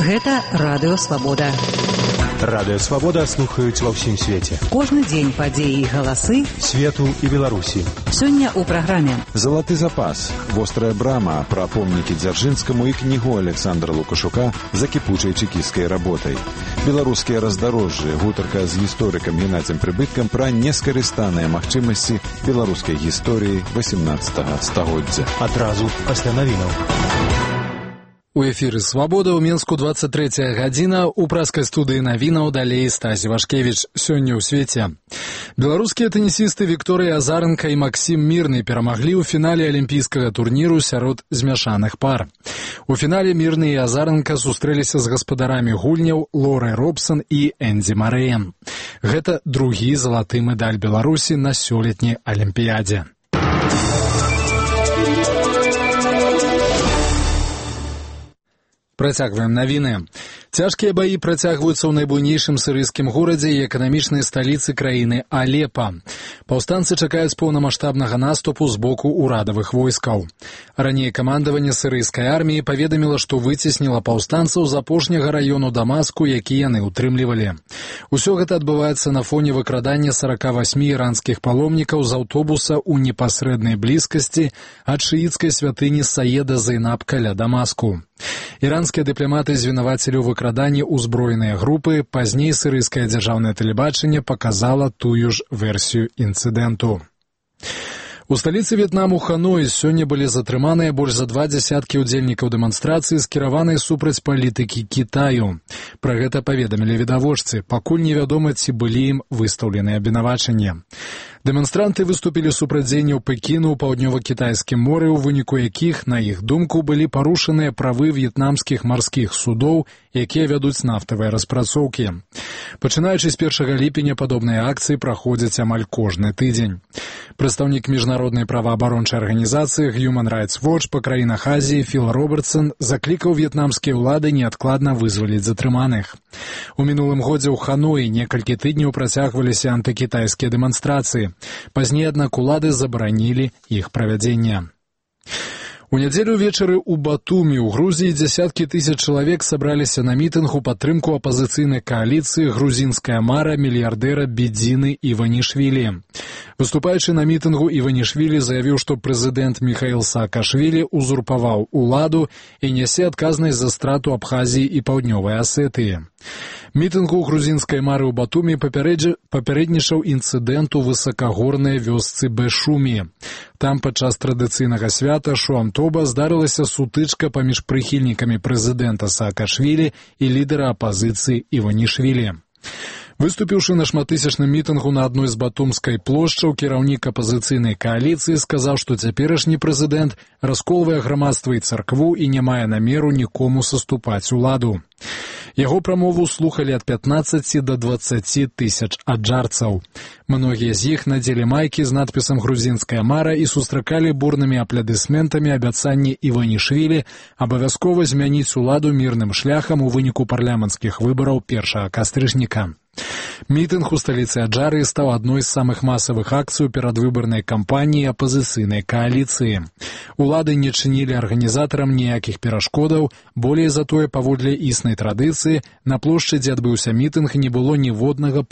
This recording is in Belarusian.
Гэта Радыё Свабода. Радыё Свабода слухаюць ва ўсім свеце. Кожны дзень падзеі і галасы свету і Беларусі. Сёння ў праграме «Залаты запас», «Вострая брама», пра помнікі Дзяржынскаму і кнігу Александра Лукашука за кіпучай чекісцкай работай. Беларускія раздарожжы, гутарка з гісторыкам Геннадзем Прыбыткам пра нескарыстаныя магчымасці беларускай гісторыі 18 стагоддзя. Адразу пасля навінаў. У эфіры «Свабода» ў Мінску 23 гадзіна, у праскай студыі навінаў далей Стасі Вашкевіч. Сёння ў свеце. Беларускія тэнісісты Вікторыя Азаренка і Максім Мірны перамаглі ў фінале алімпійскага турніру сярод змяшаных пар. У фінале Мірны і Азаренка сустрэліся з гаспадарамі гульняў Лорай Робсон і Эндзі Марэем. Гэта другі залаты медаль Беларусі на сёлетняй алімпіядзе. Працягваем навіны. Цяжкія баі працягваюцца ў найбуйнейшым сірыйскім горадзе і эканамічнай сталіцы краіны Алепа. Паўстанцы чакаюць поўнамаштабнага наступу з боку ўрадавых войскаў. Раней камандаванне сірыйскай арміі паведаміла, што выцесніла паўстанцаў з апошняга раёну Дамаску, які яны ўтрымлівалі. Усё гэта адбываецца на фоне выкрадання 48 іранскіх паломнікаў з аўтобуса ў непасрэднай блізкасці ад шыіцкай святыні Саеда Зайнаб каля Дамаску. Іранскія дыпламаты звінавацілі ў выкраданні ўзброеныя групы, пазней сірыйскае дзяржаўнае тэлебачанне паказала тую ж версію інцыдэнту. У сталіцы В'етнаму Ханой сёння былі затрыманыя больш за 20 удзельнікаў дэманстрацыі, скіраванай супраць палітыкі Кітаю. Пра гэта паведамілі відавочцы, пакуль невядома, ці былі ім выстаўленыя абвінавачанні. Дэманстранты выступілі супраць дзеянняў Пекіну ў паўднёва-кітайскім моры, у выніку якіх, на іх думку, былі парушаныя правы в'етнамскіх марскіх судоў, якія вядуць нафтавыя распрацоўкі. Пачынаючы з 1 ліпеня падобныя акцыі праходзяць амаль кожны тыдзень. Прадстаўнік міжнароднай праваабарончай арганізацыі Human Rights Watch па краінах Азіі Філ Робертсон заклікаў в'етнамскія ўлады неадкладна вызваліць затрыманых. У мінулым годзе ў Ханоі некалькі тыдняў працягваліся антыкітайскія дэманстрацыі. Пазней, аднак, улады забаранілі іх правядзенне. У нядзелю ўвечары ў Батумі ў Грузіі дзясяткі тысяч чалавек сабраліся на мітынг у падтрымку апазіцыйнай кааліцыі «Грузінская мара» мільярдэра Бедзіны Іванішвілі. Выступаючы на мітынгу, Іванішвілі заявіў, што прэзідэнт Міхаіл Саакашвілі узурпаваў уладу і нясе адказнасць за страту Абхазіі і Паўднёвай Асетыі. Мітынгу грузінскай мары ў Батумі папярэднічаў інцыдэнт у высакагорнай вёсцы Бэшумі. Там падчас традыцыйнага свята Шуамтоба здарылася сутычка паміж прыхільнікамі прэзідэнта Саакашвілі і лідара апазіцыі Іванішвілі. Выступіўшы на шматтысячным мітынгу на адной з батумскай плошчаў, кіраўнік апазіцыйнай кааліцыі сказаў, што цяперашні прэзідэнт расколвае грамадства і царкву і не мае намеру нікому саступаць уладу. Яго прамову слухалі ад 15 до 20 тысяч аджарцаў. Многія з іх надзелі майкі з надпісам «Грузінская мара» і сустракалі бурнымі апладысментамі абяцанні Іванішвілі абавязкова змяніць уладу мірным шляхам у выніку парламенцкіх выбараў 1 кастрычніка. Мітынг у сталіцы Аджарыі стаў адной з самых масавых акцый у перадвыбарнай кампаніі апазіцыйнай кааліцыі. Улады не чынілі арганізатарам ніякіх перашкодаў, болей затое, паводле існай традыцыі, на плошчы, дзе адбыўся мітынг, не было ніводнага